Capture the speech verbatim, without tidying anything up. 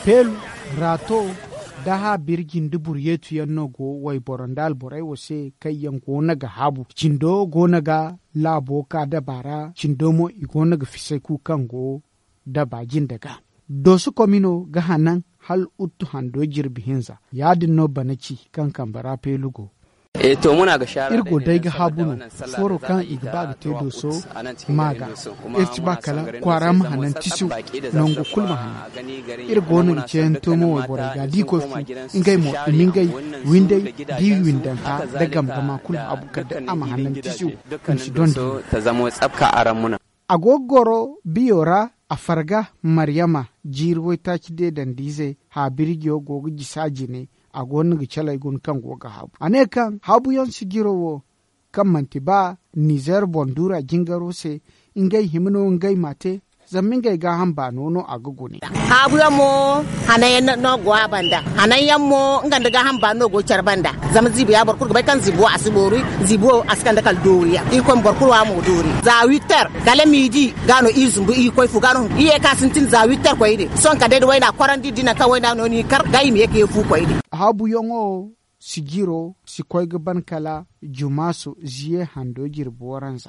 Peelu, raato, da haabirji nda buryeetu yaŋ no go wayboro nda alborey wo se kaŋ yaŋ go no ga haabu cindo go no ga laabo ka daba ra cindo mo i go no ga fisay ku kaŋ go daba jinde ga. Dooso komino ga hanan hala uttu hando jirbi hinza. Ya- din no bana ci kaŋ kambe ra peelu go. Iri go day ga haabu no, fooro kaŋ i ga ba ga te dooso ma ga. Iri ci ba kala kwaara ma hanan tisiw, nangu kulu ma hanan. Iri go no ga ceeyanto mo wayborey ga da i koy fu, ngey mo i ma ngey windey da i windanta nda gamgama kulu haabu kala day a ma hanan tisiw. I ma si donda. A go ga goro biyo ra. A farga maryama jiiri waytaaci deedand'ize haabirjiyo go ga jisa jine. A go no ga caley guna kaŋ go ga haabu a ne kaŋ haabuyaŋ sijiro wo kaŋ manti ba nizeer boŋ duura jingaro se, ngey hima no ngey m'a te. Zama ngey gaaham baano no a ga gune. Haabuyaŋ mo hananyaŋ no go a banda. Hananyaŋ mo nga nda gaaham baano no go care banda. Zama ziibi ya boro kulu ga bay kaŋ ziibi wo a si boori. Ziibi wo a si kande kala dooriyaŋ irkoy ma boro kulu wa mo doori za witter kala miidi. Ga no iri zumbu iri koy fu ga no iri ye ka sintin za witter koyne. Sohõ kala day da wayna korandi da i naŋ kaŋ wayna no ni kar ga i ma ye ka ye fu koyne. Haabuyaŋo sijiro si koy ga ban kala jumaasu ziye hando jirbi waranza.